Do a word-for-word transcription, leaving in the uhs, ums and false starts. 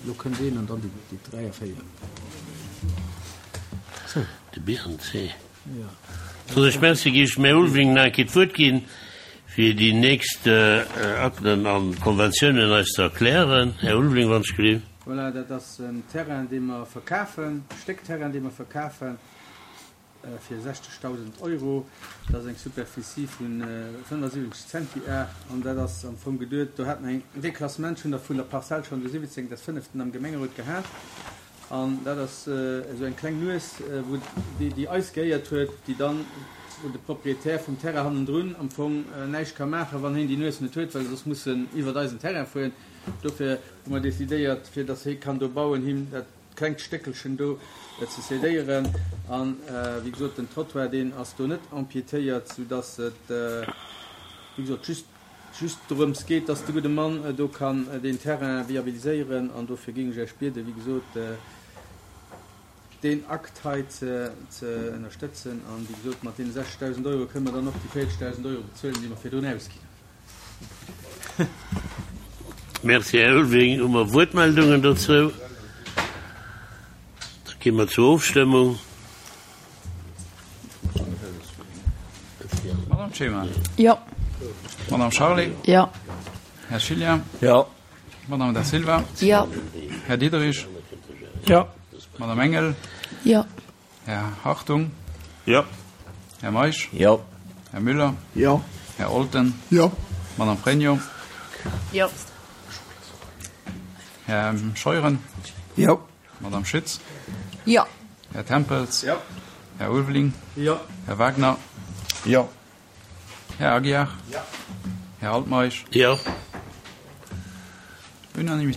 Lo kënnt een an dann déi, déi dräi a véier. De Bärenzeh. Ja. Soen ech Merci, géif ech dem Här Ulveling nach eng Kéier d'Wuert ginn, fir déi nächst Akten a Konventiounen eis ze erklären. Här Ulveling, wann ech gelift. Voilà, dat ass en Terrain, dee mer verkafen, e Stéck Terrain, dee mer verkafen fir sechzegdausend Euro. Dat ass eng Superficie vu fënnefasiwwenzeg Zentiar an dat ass am Fong geduet, do hat mer en Déclassement schonn vun der Parzell schonn de siwwenzéngten des fënneften am Gemengerot gehat. An dat ass esou eng kleng Nues, wou déi, déi eis gehéiert huet, déi dann, wou de Propriétaire vum Terrain hannendrun am Fong näischt ka maachen, wann hien déi Nues net huet, well e soss muss en iwwert eisen Terrain fueren. Dofir hu mer decidéiert, fir datt hie kann do bauen, him dat klengt Stéckelchen do ze cédéieren. An, wéi gesot, den Trottoir, deen ass do net empiétéiert, soudatt et, wéi gesot, just just dorëms geet, dass de gudde Mann do kann deen Terrain viabiliséieren. An dofir géing ech Iech bieden, wéi gesot, deen Akt hei ze ënnerstëtzen. An, wéi gesot, mat deene sechzegdausend Euro kënne mer dann och déi véierzegdausend Euro bezuelen, déi mer virdrun ausginn hunn. Merci, Här Ulveling. Hu mer Wuertmeldungen dozou? Da gi mer zur Ofstëmmung. Madame Clement. Jo. Madame Charlé. Jo. Här Schillian. Jo. Madame Da Silva. Jo. Här Diderich. Jo. Madame Engel. Jo. Här Hartung. Jo. Här Meisch. Jo. Här Müller. Jo. Här Olten. Jo. Madame Pregno. Jo. Här Scheuren. Jo. Madame Schütz. Jo. Här Tempels. Jo. Här Ulveling. Jo. Här Wagner. Jo. Här Aguiar. Jo. Här Altmeisch. Jo. Unanimitéit.